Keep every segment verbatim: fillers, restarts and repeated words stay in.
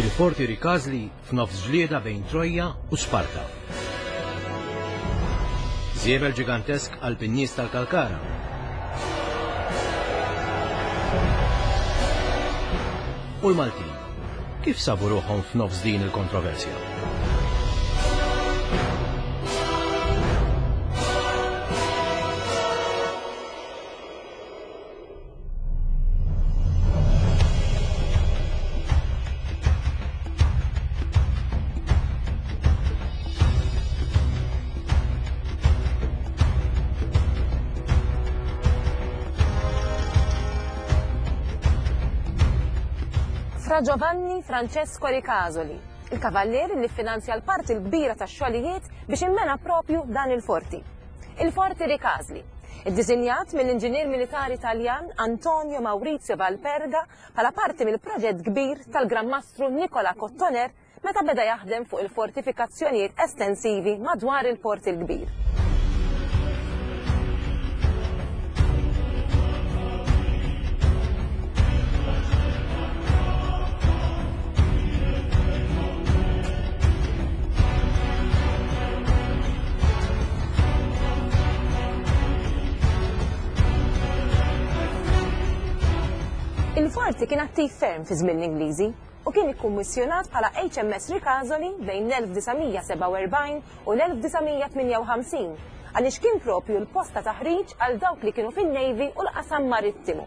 Il-Forti Rikażli f'nofs ġlieda bejn Trojja u Sparta. Żiebel ġigantesk qalb in-nies tal-Kalkara. U l-Maltin, kif sabu ruħhom f'nofs din il-kontroversja? Fra Giovanni Francesco Ricasoli, il-kavallier li finanzja l-parti l-kbira tax-xogħlijiet biex immena propju dan il-forti. Il-Forti Ricasoli, iddisinjat mill-inġinier militari Taljan Antonio Maurizio Valperga bħala parti mill-proġett kbir tal-Gran Mastru Nicola Cottoner meta beda jaħdem fuq il-fortifikazzjonijiet estensivi madwar il-Port il-Kbir. Il-forti kien attiv ferm fi żmien l-Ingliżi u kien ikkummissjonat bħala H M S Ricasoli bejn l-elf disa' mija sebgħa u erbgħin u l-elf disa' mija tmienja u ħamsin għaliex kien propju l-post ta' taħriġ għal dawk li kienu fin-Navy u l-qasam marittimu.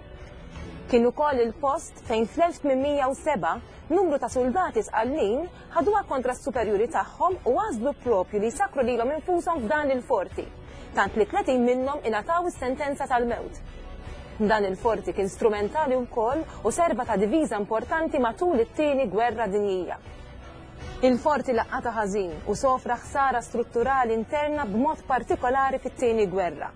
Kien ukoll il-post fejn fl-elf tmien mija u sebgħa numru ta' soldati Sqallin ħaduha kontra s-superjuri tagħhom u għażlu propju li jsakru lilhom infushom f'dan il-forti, tant li tletin minnhom ingħataw is-sentenza tal-mewt. Dan il-forti kien strumentali wkoll u serva ta' diviża importanti matul it-tieni gwerra dinjija. Il-forti laqata ħażin u sofra ħsara strutturali interna b'mod partikolari fit-tieni gwerra.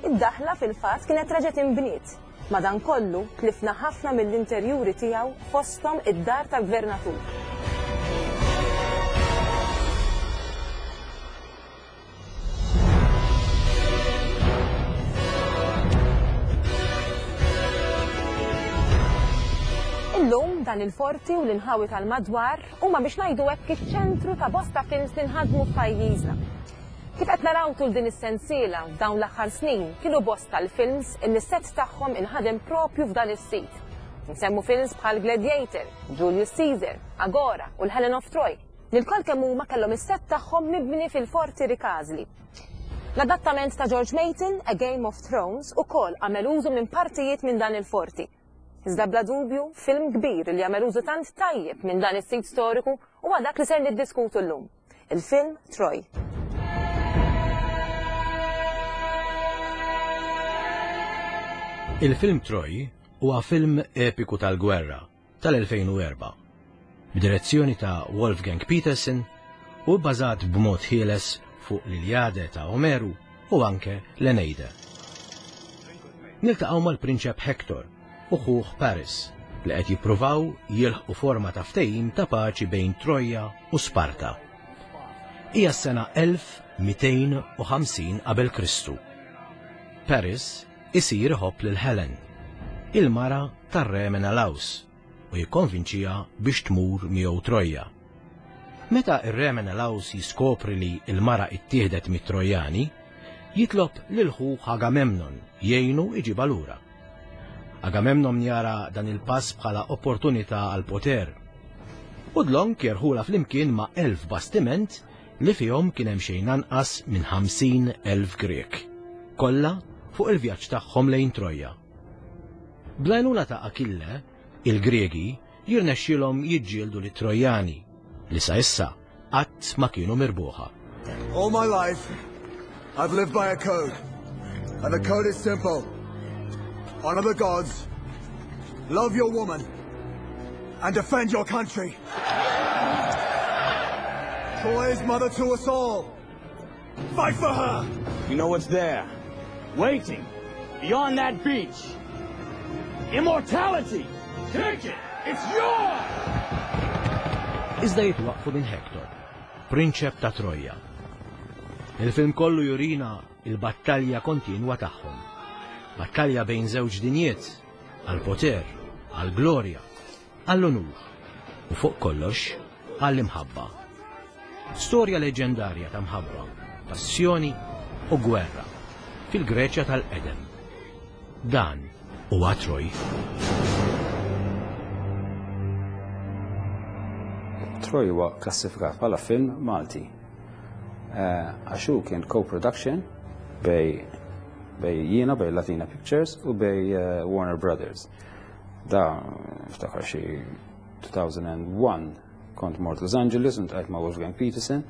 Id-daħla fil-fatt kienet reġgħet inbniet. Madankollu tlifna ħafna mill-interjuri tiegħu fosthom id-dar tal-gvernatur. Illum dan il-forti u l-inħawi tal-madwar huma biex ngħidu hekk iċ-ċentru ta' bosta films li nħadmu f'pajjiżna. Kif qed naraw tul din is-sensiela f'dawn l-aħħar snin kienu bosta l-films illi s-set tagħhom inħadem propju f'dan is-sit. Nsemmu films bħal Gladiator, Julius Caesar, Agora u l-Helen of Troy. Li lkoll kemm huma kellhom is-set tagħhom mibni fil-Forti Ricasoli. L-adattament ta' George Martin, A Game of Thrones, ukoll għamel użu minn partijiet minn dan il-forti. Iżda bla dubju, film kbir li għamel użu tant tajjeb minn dan is-sit storiku huwa dak li ser niddiskutu llum, il-film Troy. Il-film Troy huwa film epiku tal-gwerra tal-elfejn u erba', b'direzzjoni ta' Wolfgang Petersen u bbażat b'mod ħieles fuq l-Iliade ta' Omeru u anke l-Eneide. Niltaqgħu mal-Prinċep Hector u ħuh Paris li qed jippruvaw jilħqu forma ta' ftehim ta' paċi bejn Troja u Sparta. Hija s-sena elf mitejn u ħamsin qabel Kristu. Paris isir iħobb lil Helen, il-mara tar-re Menelaus, u jikkonvinċiha biex tmur miegħu Troja. Meta ir-re Menelaus jiskopri li l-mara ittieħdet mit-Trojani, jitlob lil ħuh Agamemnon jgħinu iġibha lura. Agamemnon jara dan il-pass bħala opportunità għal poter. U dlonk jerħula flimkien ma' elf bastiment li fihom kien hemm xejn anqas minn ħamsin elf Grek, kollha fuq il-vjaġġ tagħhom lejn Troja. Bl-għajnuna ta' Achille, il-Gregi jirnexxielhom jiġġieldu lit-Trojani li sa issa qatt ma kienu mirbuħa. All my life, I've lived by a code, and the code is simple. Honor the gods, love your woman, and defend your country. Troy is mother to us all. Fight for her! You know what's there, waiting, beyond that beach. Immortality! Take it! It's yours! Iżda jitwaqfu minn Hector, prinċep ta' Troja. Il-film kollu jurina il-battalja kontinwa tagħhom. Battalja bejn żewġ dinjiet, għall-poter, għall-glorja, għall-onur u fuq kollox għall-imħabba. Storja leġendarja ta' mħabba, passjoni u gwerra fil-Greċja tal-Qedem. Dan huwa Troy. Troy huwa klassifikat bħala film Malti. Għax hu kien co-production bejn bejn jiena, bejn Latina Pictures u bejn Warner Brothers. Da, ftakar xi two thousand and one kont mort Los Angeles u ltqajt ma' Wolfgang Petersen,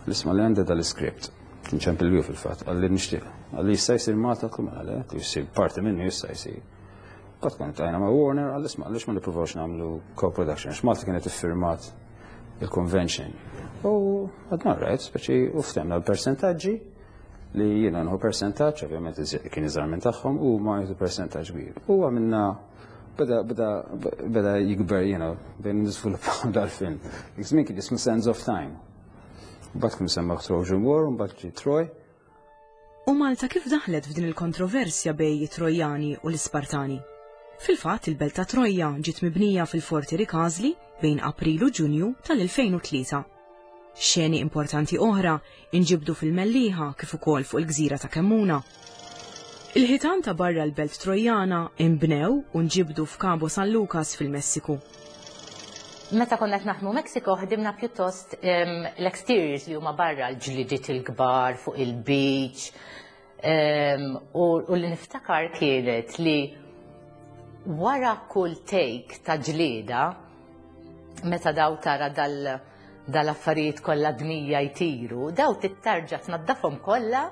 l-isma li għandi dal-script. Kien ċempilli fil-fatt, qalli nixtieq. Qalli jista' jsir Malta, għedtlu mela le, jsir parti minnu jista' jsir. Bat kont għajna ma' Warner, qalli isma' għaliex ma nippruvawx nagħmlu co-production, għax Malta kienet iffirmat il-convention. U għedna right, speċi u ftehemna l-percentaġġi li jiena nieħu percentaġġ, ovvjament kien iżgħar minn tagħhom, u ma jieħdu percentaġġ kbir. U għamilna beda beda beda jikber jiena bejn niżviluppaw dal-film. Żmien kien jismu Sands of Time. Mbagħad kien semma Trojan War, mbagħad ġie Troy. U Malta kif daħlet f'din il-kontroversja bejn it-Trojani u l-Ispartani? Fil-fatt, il-belt ta' Troja ġiet mibnija fil-Forti Ricasoli bejn April u Ġunju tal-elfejn u tlieta. Xeni importanti oħra inġibdu fil-Mellieħa kif ukoll fuq il-gżira ta' Kemmuna. Il-ħitan ta' barra l-belt Trojana imbnew u nġibdu f'Cabo San Lucas fil-Messiku. Meta konna qed naħdmu Mexico, ħdimna pjuttost em, l-exteriors li huma barra, l-ġlidiet il-kbar fuq il-beach. Em, u, u li niftakar kienet li wara kull take ta' ġlieda, meta daw tara dal dal-affarijiet kollha dmija jtiru, daw trid terġa' tnaddafhom kollha,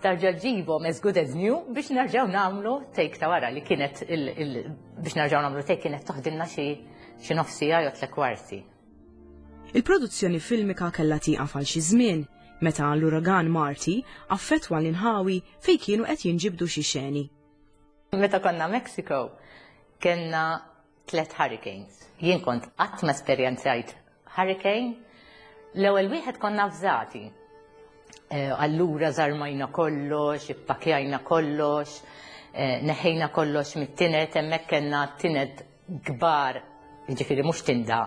terġa' ġġibhom as good as new biex nerġgħu nagħmlu take ta' wara li kienet il, il, biex nerġgħu nagħmlu take kienet toħdilna xi xi nofs siegħa jew tliet kwarti. Il-produzzjoni filmika kellha tieqaf għal xi żmien meta l-uragan Marty affettwa l-inħawi fejn kienu qed jinġibdu xi xeni. Meta konna Mexico, kellna tlet hurricanes. Jien kont qatt ma esperjenzajt hurricane. L-ewwel wieħed konna avżati. Eh, Allura żarmajna kollox, ippakjajna kollox, eh, neħejna kollox mit-tined, hemmhekk kellna tined kbar, jiġifieri mhux tinda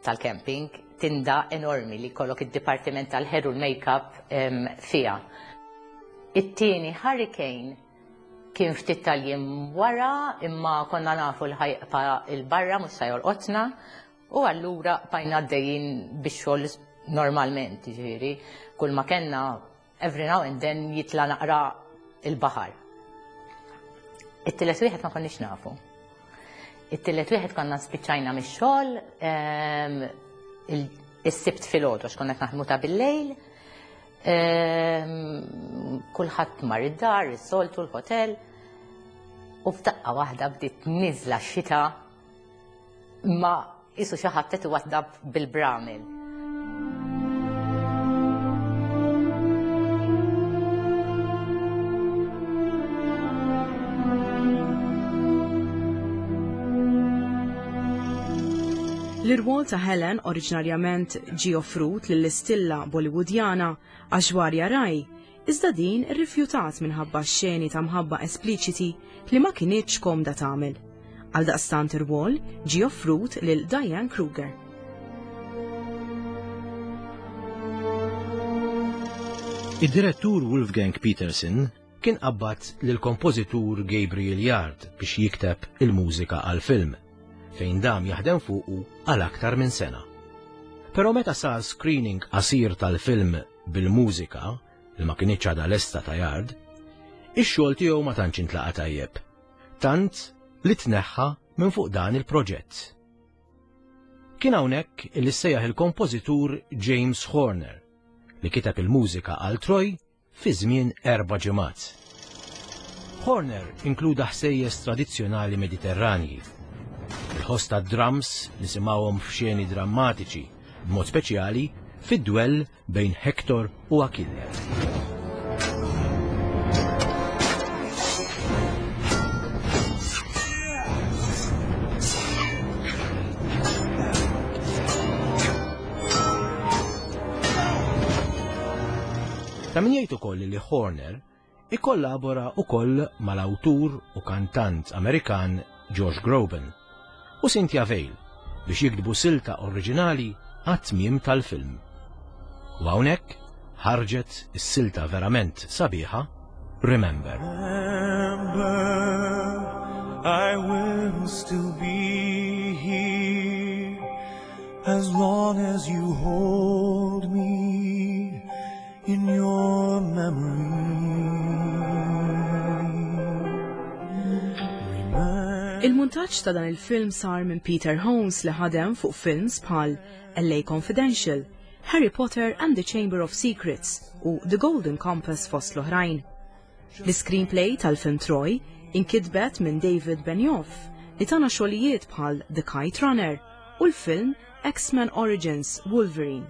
tal-camping, tinda enormi li kollok id-dipartiment tal-hair u l-makeup em, fija. It-tieni hurricane kien ftit tal-jiem wara, imma konna nafu l-ħajqa il-barra mhux se jolqotna, u allura bqajna għaddejjin bix-xogħol normalment, ġifieri, kull ma kellna every now and then jitla naqra il-baħar. It-tielet wieħed ma konniex nafu. It-tielet wieħed konna spiċċajna mix-xogħol, em, il- is-Sibt filgħodu għax konna qed naħdmu ta' bil-lejl. Em, Kulħadd mar id-dar, is-soltu, l-hotel, u f'daqqa waħda bdiet niżla xita ma qisu xi ħadd qed iwaddab bil-bramel. L-irwol ta' Helen oriġinarjament ġie offrut lill-istilla Bollywoodjana Aishwarya Rai, iżda din irrifjutat minħabba xeni ta' mħabba espliċiti li ma kinitx komda tagħmel. Għaldaqstant ir-rwol ġie offrut lil Diane Kruger. Id-direttur Wolfgang Petersen kien qabbad lil kompożitur Gabriel Yard biex jikteb il-mużika għal-film, fejn dam jaħdem fuqu għal aktar minn sena. Però meta sar screening qasir tal-film bil-mużika, li ma kinitx għadha lesta ta' Yard, ix-xogħol tiegħu ma tantx intlaqa tajjeb. Tant li tneħħa minn fuq dan il-proġett. Kien hawnhekk li sejjaħ il-kompożitur James Horner, li kiteb il-mużika għal Troy fi żmien erba' ġimgħat. Horner inkluda ħsejjes tradizzjonali Mediterranji. Il-ħoss ta' drums nisimgħuhom f'xeni drammatiċi, b'mod speċjali fid-dwell bejn Hector u Achille. Ta' min jgħid ukoll li Horner ikkollabora ukoll mal-awtur u kantant Amerikan Josh Groban u Cynthia Vale biex jiktbu silta oriġinali għat-tmiem tal-film. U hawnhekk ħarġet is-silta verament sabiħa Remember. Remember, I will still be here as long as you hold me in your memory. Il-muntaġġ ta' dan il-film sar minn Peter Holmes li ħadem fuq films bħal L A Confidential, Harry Potter and the Chamber of Secrets u The Golden Compass fost l-oħrajn. L-screenplay tal-film Troy inkitbet minn David Benioff li tana xogħlijiet bħal The Kite Runner u l-film X-Men Origins Wolverine.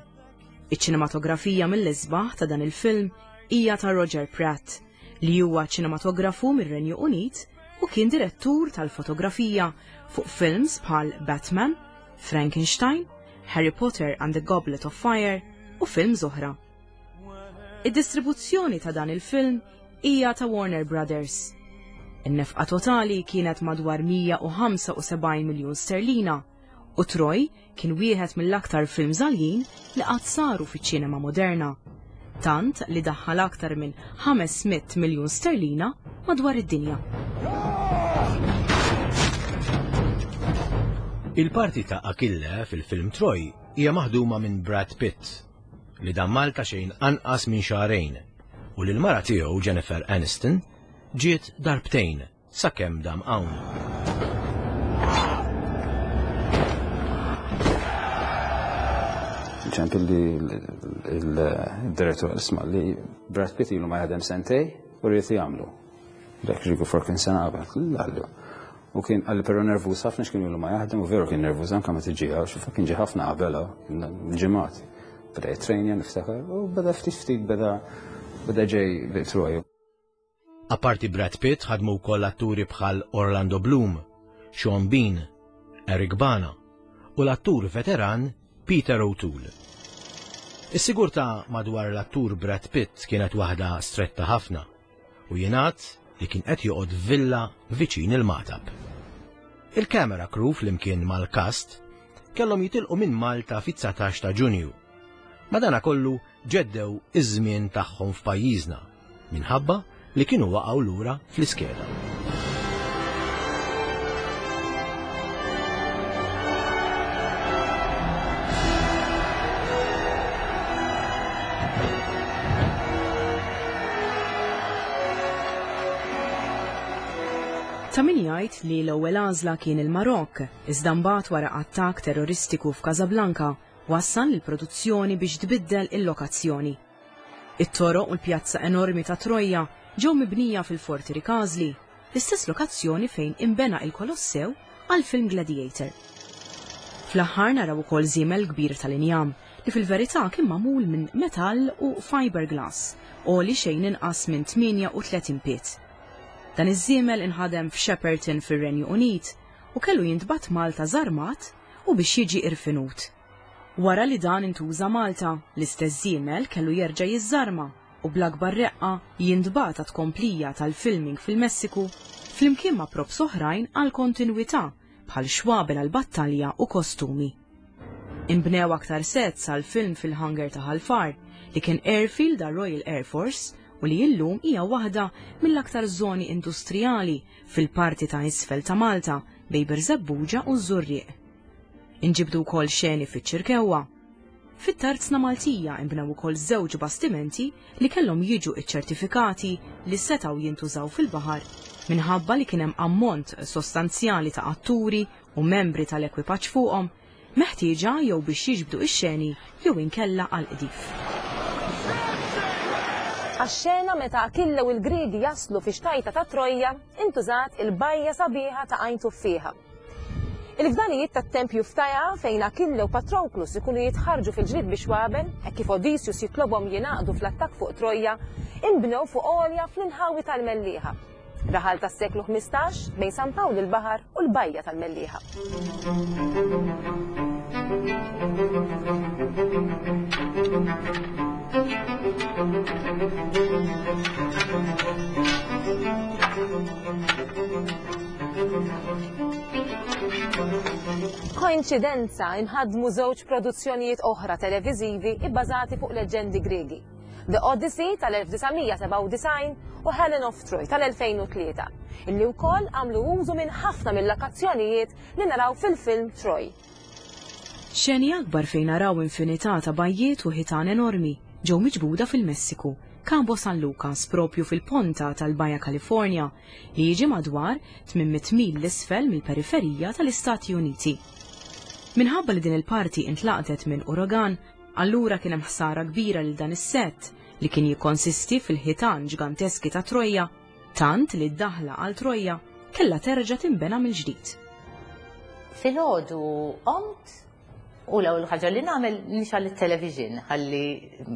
Iċ-ċinematografija mill-isbaħ ta' dan il-film hija ta' Roger Pratt, li huwa ċinematografu mir-Renju Unit u kien direttur tal-fotografija fuq films bħal Batman, Frankenstein, Harry Potter and the Goblet of Fire u films oħra. Id-distribuzzjoni ta' dan il-film hija ta' Warner Brothers. In-nefqa totali kienet madwar mija u ħamsa u sebgħin miljun sterlina u Troy kien wieħed mill-aktar films għaljin li qatt saru fiċ-ċinema moderna. Tant li daħħal aktar minn ħames mitt miljun sterlina madwar id-dinja. Il-parti ta' Achille fil-film Troy hija maħduma minn Brad Pitt, li dam Malta xejn anqas minn xahrejn, u li l-mara tiegħu Jennifer Aniston ġiet darbtejn sakemm dam hawn. Ċempel li il-direttur, isma' li Brad Pitt ilu ma jaħdem sentejn u rrid jagħmlu. Dak ġigu for kien sena qabel, għallu. U kien għalli però nervuż ħafna x'kien ilu ma jaħdem u veru kien nervuż anke meta ġie hawn, xi kien ġie ħafna qabel ġimgħat. Beda jitrejnja niftakar u beda ftit ftit beda beda ġej Troy. Apparti Brad Pitt ħadmu wkoll atturi bħal Orlando Bloom, Sean Bean, Eric Bana u l-attur veteran Peter O'Toole. Is-sigurtà madwar l-attur Brad Pitt kienet waħda stretta ħafna u jingħad li kien qed joqgħod villa viċin il-Magħtab. Il-camera crew flimkien mal-cast kellhom jitilqu minn Malta fit-dsatax ta' Ġunju. Madana kollu ġeddew iż-żmien tagħhom f'pajjiżna minħabba li kienu waqgħu lura fl-iskeda. Ta' min jgħid li l-ewwel għażla kien il-Marok, iżda mbagħad wara attakk terroristiku f'Casablanca wassal il-produzzjoni biex tbiddel il-lokazzjoni. It-toroq u l-pjazza enormi ta' Troja ġew mibnija fil-Forti Rikażli, l-istess lokazzjoni fejn imbena il-Kolossew għal film Gladiator. Fl-aħħar naraw ukoll żiemel kbir tal-injam li fil-verità kien magħmul minn metall u fiberglass u li xejn inqas minn tmienja u tletin pied. Dan iż-żiemel inħadem f'Shepperton fir-Renju Unit u kellu jintbagħat Malta żarmat u biex jiġi irfinut. Wara li dan intuża Malta, l-istess żiemel kellu jerġa' jiżżarma u bl-akbar reqqa jintbagħat tkomplija tal-filming fil-Messiku flimkien ma' props oħrajn għal kontinwità bħal xwabel għal battalja u kostumi. Inbnew aktar sets għal film fil-hangar ta' Ħal Far li kien airfield għal Royal Air Force u li illum hija waħda mill-aktar żoni industrijali fil-parti ta' isfel ta' Malta bejn Birżebbuġa u Żurrieq. Inġibdu wkoll xeni fiċ-Ċirkewwa. Fit-Tarzna Maltija imbnew ukoll żewġ bastimenti li kellhom jiġu iċċertifikati li setgħu jintużaw fil-baħar minħabba li kien hemm ammont sostanzjali ta' atturi u membri tal-ekwipaġġ fuqhom meħtieġa jew biex jiġbdu ix-xeni jew inkella għal qdif. Għax-xena meta Akille u l-Griegi jaslu fi xtajta ta' Trojja, intużat il-bajja sabiħa ta' Għajn Tuffieħa. Il-fdalijiet tat-tempju f'Taja fejn Akille u Patroklus ikunu jitħarġu fil-ġrid biex xwabel, hekk kif Odysseus jitlobhom jingħaqdu fl-attakk fuq Trojja, inbnew fuq għolja fl-inħawi tal-Mellieħa. Raħal tas-seklu ħmistax bejn San Pawl il-Baħar u l-bajja tal-Mellieħa. Koinċidenza inħadmu żewġ produzzjonijiet oħra televiżivi ibbażati fuq leġendi Gregi. The Odyssey tal-elf disa' mija sebgħa u disgħin u Helen of Troy tal-elfejn u tlieta, illi wkoll għamlu użu minn ħafna mill-lokazzjonijiet li naraw fil-film Troy. Xeni akbar fejn naraw infinità ta' bajjiet u ħitan enormi ġew miġbuda fil-Messiku, Cabo San Lucas, propju fil-ponta tal-Baja California, li jiġi madwar tmien mitt mil 'l isfel mill-periferija tal-Istati Uniti. Minħabba li din il-parti intlaqtet minn uragan, allura kien hemm ħsara kbira lil dan is-set li kien jikkonsisti fil-ħitan ġganteski ta' Troja, tant li d-daħla għal Troja kella terġa' tinbena mill-ġdid. Filgħodu qomt u l-ewwel ħaġa li nagħmel nixgħel it-television ħalli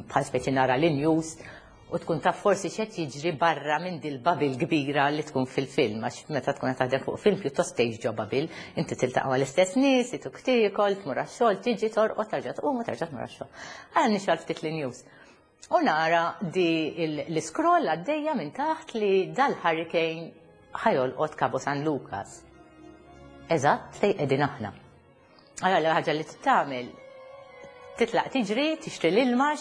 bħal speċi nara l-news u tkun taf forsi x'qed jiġri barra minn dil-bubble kbira li tkun fil-film, għax meta tkun qed taħdem fuq film pjuttost tgħix ġo bubble, inti tiltaqa' mal-istess nies, ituk tiekol, tmur għax-xogħol, tiġi torqod, terġa' tqum u terġa' tmur għax-xogħol. Għal nixgħel ftit l-news. U nara di l-scroll għaddejja minn taħt li dal-hurricane ħa jolqot Cabo San Lucas. Eżatt fejn qegħdin aħna. Għalla ħaġa li tagħmel titlaq tiġri, tixtri l-ilma,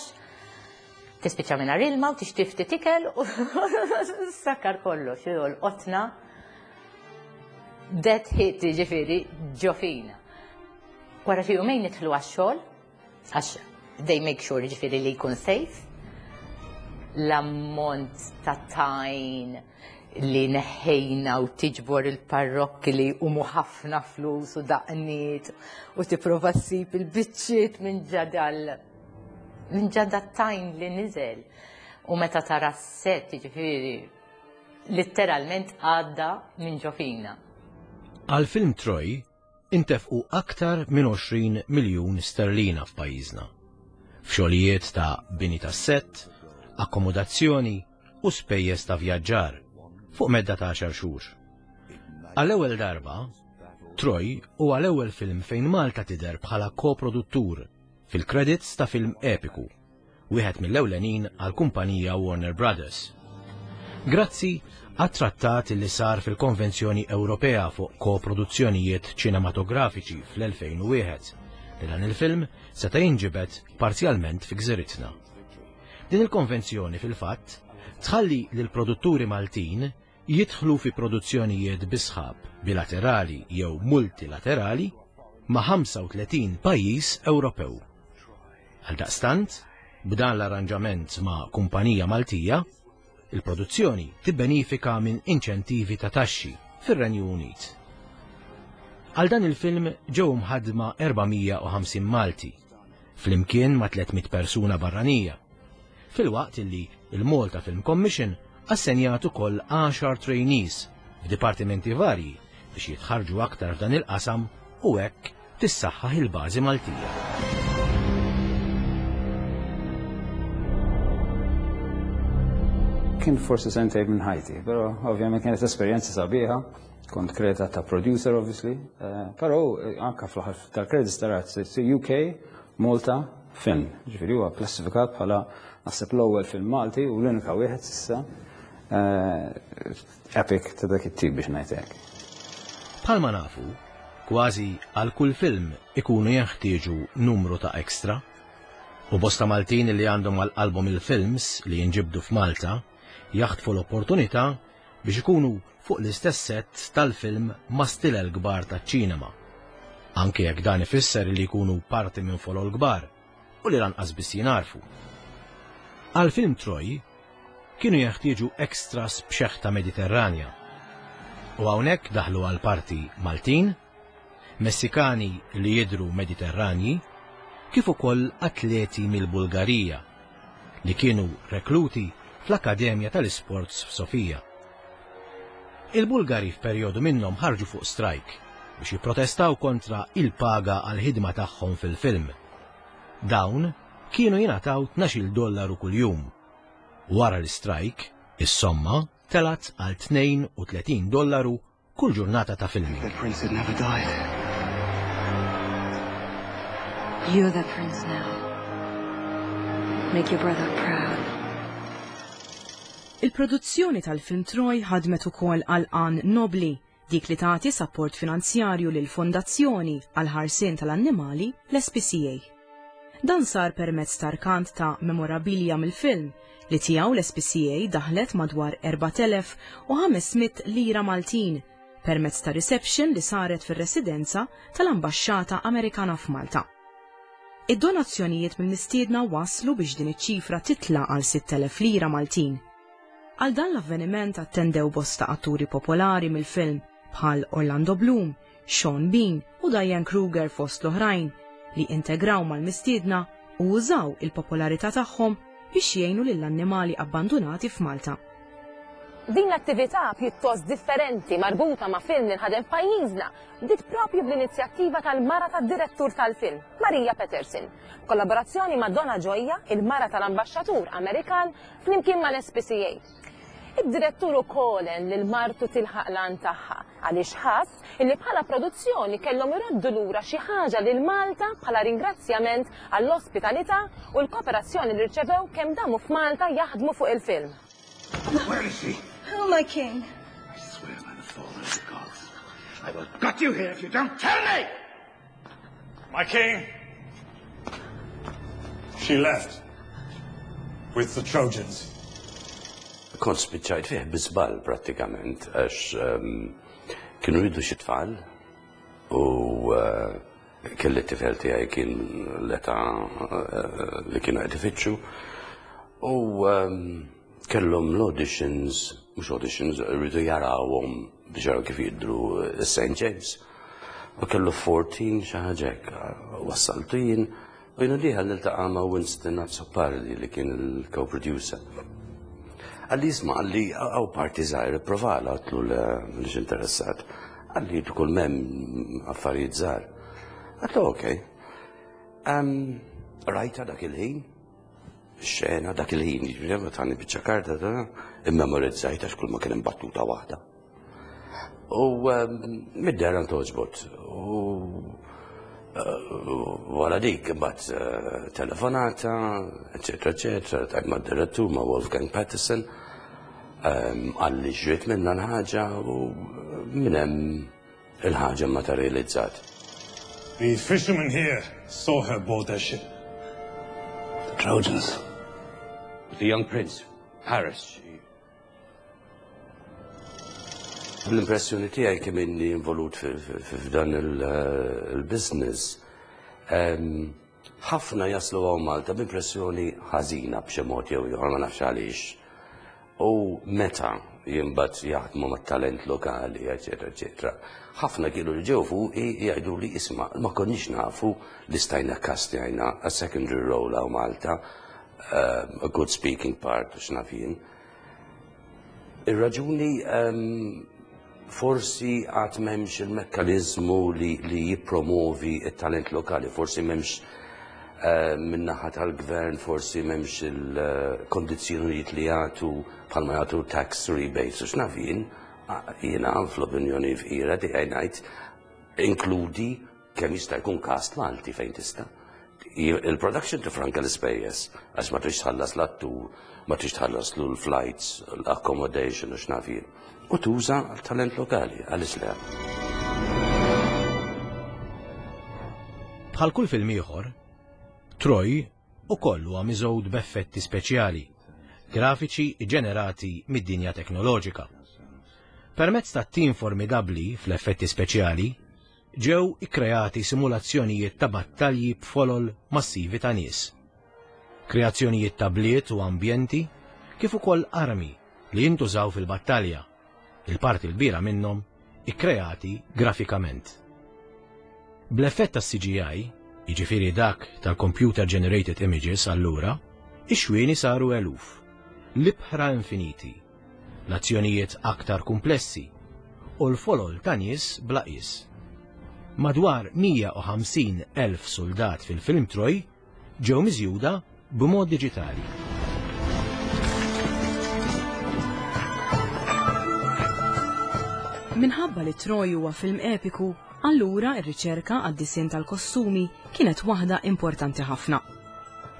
tispiċċa minn ilma u tixtri ftit ikel u sakkar kollox, jolqotna dead hit, ġifieri ġo fina. Wara xi jumejn nidħlu għax-xogħol, għax they make sure ġifieri li jkun safe. L-ammont ta' tajn li neħħejna u tiġbor il-parrokki li umu ħafna flus u daqniet u tipprova ssib il-biċċiet minn ġadal minn ġada tajn li niżel. U meta tara s-set, ġifieri, letteralment għadda minn ġo fina. Għal film Troy intefqu aktar minn għoxrin miljun sterlina f'pajjiżna. F'xogħlijiet ta' bini ta' set, akkomodazzjoni u spejjeż ta' vjaġġar fuq medda ta' għaxar xhur. Għall-ewwel darba, Troy huwa l-ewwel film fejn Malta tidher bħala koproduttur fil-credits ta' film epiku, wieħed mill-ewlenin għal kumpanija Warner Brothers. Grazzi għat-trattat li sar fil-Konvenzjoni Ewropea fuq koproduzzjonijiet ċinematografiċi fl-elfejn u wieħed, li dan il-film seta' jinġibed parzjalment fi gżiritna. Din il-konvenzjoni fil-fatt tħalli lil produtturi Maltin jidħlu fi produzzjonijiet bi sħab bilaterali jew multilaterali ma' ħamsa u tletin pajjiż Ewropew. Għaldaqstant, b'dan l-arranġament ma' kumpanija Maltija, il-produzzjoni tibbenifika minn inċentivi ta' taxxi fir-Renju Unit. Għal dan il-film ġew mħadma erba' mija u ħamsin Malti, flimkien ma' tliet mitt persuna barranija. Filwaqt illi il-Malta Film Commission assenjat ukoll għaxar trainees f'dipartimenti varji biex jitħarġu aktar f'dan il-qasam u hekk tissaħħaħ il-bażi Maltija. Kien forsi sentejn minn ħajti, però ovvjament kienet esperjenza sabiħa, kont kreditat ta' producer obviously, eh, però eh, anka fl-aħħar tal-credits tarat U K Malta film, ġifieri huwa klassifikat bħala naħseb l-ewwel film Malti u l-unika wieħed s'issa eh, epic ta' dak it-tip, biex ngħid hekk. Bħalma nafu, kważi għal kull film ikunu jenħtieġu numru ta' extra, u bosta Maltin li għandhom għal qalbhom il-films li jinġibdu f'Malta jaħtfu l-opportunità biex ikunu fuq l-istess set tal-film ma' stilel kbar taċ-ċinema. Anke jekk dan ifisser li jkunu parti minn folol kbar u li lanqas biss jingħarfu. Għal film Troy kienu jeħtieġu extras b'xeħta Mediterranja. U hawnhekk daħlu għal parti Maltin, Messikani li jidru Mediterranji, kif ukoll atleti mill-Bulgarija li kienu rekluti fl-Akkademja tal-Isports f'Sofija. Il-Bulgari f'perjodu minnhom ħarġu fuq strajk biex jipprotestaw kontra il-paga għal-ħidma tagħhom fil-film. Dawn kienu jingħataw tnax-il dollaru kuljum. Wara l-strajk, is-somma telat għal tnejn u tletin dollaru kull ġurnata ta' filming. The prince had never died. You're the prince now. Make your brother proud. Il-produzzjoni tal-film Troy ħadmet ukoll għal għan nobli. Dik li tagħti sapport finanzjarju lil fondazzjoni għal ħarsien tal-annimali l-S P C A. Dan sar permezz ta' rkant ta' memorabilia mill-film li tiegħu l-S P C A daħlet madwar erbat elef u ħames mitt lira Maltin permezz ta' reception li saret fir-residenza tal-Ambaxxata Amerikana f'Malta. Id-donazzjonijiet mill-mistiedna waslu biex din iċ-ċifra titla' għal sitt elef lira Maltin. Għal dan l-avveniment attendew bosta atturi popolari mill-film bħal Orlando Bloom, Sean Bean u Diane Kruger fost l-oħrajn li integraw mal-mistiedna u użaw il-popolarità tagħhom biex jgħinu lill-annimali abbandonati f'Malta. Din l-attività pjuttost differenti marbuta ma' film li nħadem f'pajjiżna bdiet propju bl-inizjattiva tal-mara tad-direttur tal-film, Maria Peterson, kollaborazzjoni ma' Donna Gioia, il-mara tal-ambaxxatur Amerikan, flimkien mal-S P C A. Id-direttur ukoll lil martu tilħaq l-għan tagħha għaliex ħass illi bħala produzzjoni kellhom iroddu lura xi ħaġa lil Malta bħala ringrazzjament għall-ospitalità u l-kooperazzjoni li rċevew kemm damu f'Malta jaħdmu fuq il-film. Where is she? Oh, my king. I swear by the fallen of the gods, I will gut you here if you don't tell me! My king! She left with the Trojans. Kont spiċċajt fih bi żball prattikament, għax um, kienu jridu xi tfal u uh, kelli t-tifel tiegħi kien l-età uh, li kienu qed ifittxu u um, kellhom l-auditions, mhux auditions, rridu jarawhom biex jaraw kif jidru Saint James. U kellu erbatax xi ħaġa hekk, wassaltu jien u jiena dieħel niltaqa' ma' Winston Azzopardi li kien il-co-producer. Qalli, "Isma'," qalli, "hawn parti żgħira, provala." Għedtlu, "Le, mhux interessat." Qalli, "Kull m'hemm affarijiet żgħar." Għedtlu, "Ok." Um, rajta dak il-ħin, xena dak il-ħin, ġifieri tani biċċa karta ta' immemorizzajt għax kull ma kien hemm battuta waħda. U um, mid-dehra ntgħoġbot. U uh, wara dik imbagħad uh, telefonata, eċetera, eċetera, tajt ma' direttur, ma' Wolfgang Petersen, um, qalli ġriet minna l-ħaġa u minn hemm il-ħaġa materializzat. The fishermen here saw her board their ship. The Trojans. The young prince, Paris. L-impressjoni tiegħi kemm inni involut f'dan il-business, ħafna jaslu hawn Malta b'impressjoni ħażina b'xi mod jew ieħor, ma nafx għaliex. U meta imbagħad jaħdmu mat-talent lokali, eċetera, eċetera. Ħafna kienu li ġew fuqi jgħidu li, "Isma', ma konniex nafu li stajna kastjajna a secondary role hawn Malta, um, a good speaking part, x'naf jien." Ir-raġuni um, forsi għad m'hemmx il-mekkanizmu li, li jipromovi il-talent lokali, forsi m'hemmx uh, min-naħa tal-gvern, forsi m'hemmx il-kondizzjonijiet li jagħtu bħalma jagħtu tax rebates, u x'naf jien, jiena fl-opinjoni fqira tiegħi ngħid inkludi kemm jista' jkun cast Malti fejn tista'. Il-production tifranka l-ispejjeż għax ma tridx tħallas l-attur, ma tridx tħallas l-flights, l-accommodation u x'naf jien. U tuża talent lokali, għaliex le? Bħal kull film ieħor, Troy ukoll huwa miżgħud b'effetti speċjali, grafiċi ġenerati mid-dinja teknoloġika. Permezz ta' tim formidabli fl-effetti speċjali, ġew ikkreati simulazzjonijiet ta' battalji b'folol massivi ta' nies. Kreazzjonijiet ta' bliet u ambjenti, kif ukoll armi li jintużaw fil-battalja, il-parti l-kbira minnhom ikkreati grafikament. Bl-effett tas C G I, jiġifieri dak tal-Computer Generated Images allura, ix-xwieni saru eluf, l-ibħra infiniti, l-azzjonijiet aktar komplessi u l-folol ta' nies bla qies. Madwar mija u ħamsin elf soldat fil-film Troy ġew miżjuda b'mod diġitali. Minħabba li Troy huwa film epiku, allura ir-riċerka għad-disinn tal-kostumi kienet waħda importanti ħafna.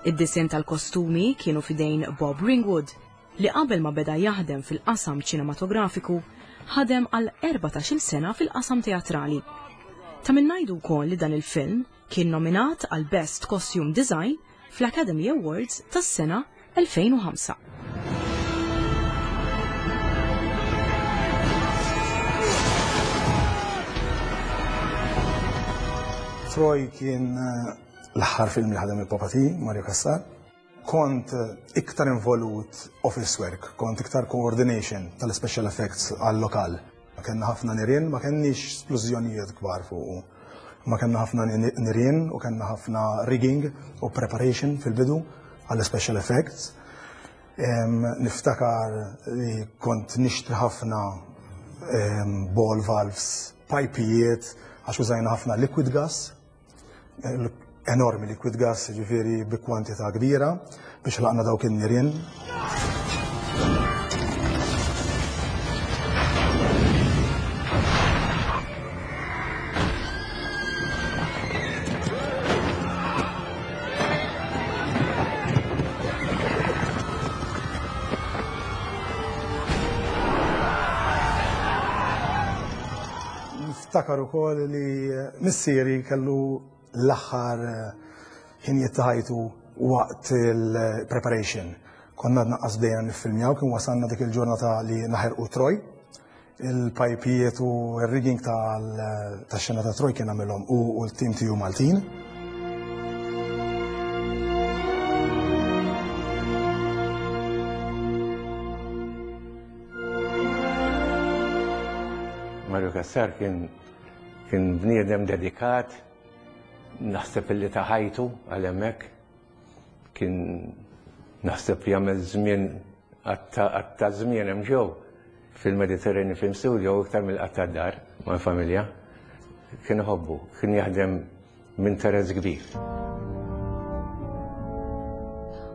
Id-disinn tal-kostumi kienu fidejn Bob Ringwood, li qabel ma beda jaħdem fil-qasam ċinematografiku ħadem għal erbatax-il sena fil-qasam teatrali. Ta' min ngħidu wkoll li dan il-film kien nominat għal Best Costume Design fl-Academy Awards tas-sena elfejn u ħamsa. Troy kien l-aħħar film li ħadem il-Papa T, Mario Cassar. Kont iktar involut office work, kont iktar coordination tal-special effects għal-lokal. Ma kellna ħafna nirien, ma kenniex splużjonijiet kbar fuqu. Ma kellna ħafna nirien u kellna ħafna rigging u preparation fil-bidu għall-special effects. Niftakar li kont nixtri ħafna ball valves, pajpijiet, għax użajna ħafna liquid gas, enormi liquid gas, ġifieri bi kwantità kbira, biex laqna dawk in-nirien. Niftakar ukoll li missieri kellu l-aħħar ħinijiet ta' ħajtu waqt il-preparation. Konna għadna qas bdejna niffilmjaw, kien wasalna dik il-ġurnata li naħerqu Troy. Il-pajpijiet u r-rigging tax-xena ta' Troy kien għamilhom u l-tim tiegħu Maltin. Mario Cassar kien kien bniedem dedikat, naħseb li ta' ħajtu għal hemmhekk, kien naħseb jagħmel żmien għatta żmien hemm ġew fil-Mediterranean Film Studio iktar mill-qatta dar mal-familja. Kien iħobbu, kien jaħdem b'interess kbir.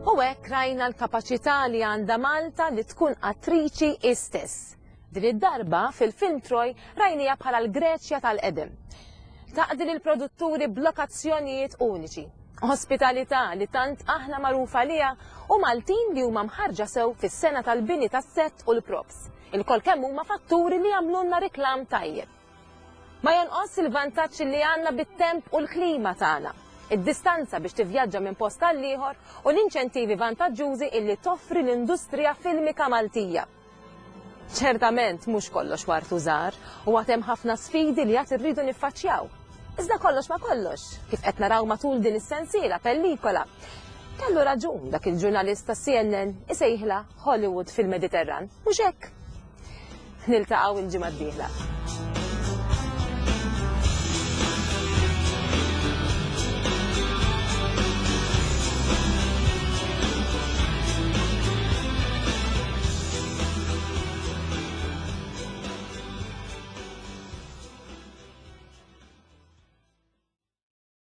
U hekk rajna l-kapaċità li għandha Malta li tkun attriċi istess. Din id-darba fil-film Troy rajnija bħala l-Greċja tal-qedem. Taqdi lill-produtturi b'lokazzjonijiet uniċi, ospitalità li tant aħna magħrufa liha u Maltin li huma mħarġa sew fis-sena tal-bini tas-set u l-props. Il-kol kemm huma fatturi li jagħmlulna reklam tajjeb. Ma jonqos il-vantaġġ li għandna bit-temp u l-klima tagħna, id-distanza biex tivvjaġġa minn post għal ieħor u l-inċentivi vantaġġużi illi toffri l-industrija filmika Maltija. Ċertament mhux kollox wartu żgħar u għad hemm ħafna sfidi li għad irridu niffaċċjaw. Iżda kollox ma kollox, kif qed naraw matul din is-sensiela pellikola. Kellu raġun dak il-ġurnalist ta' C N N isejħla Hollywood fil-Mediterran, mhux hekk. Niltaqgħu il-ġimgħa d-dieħla.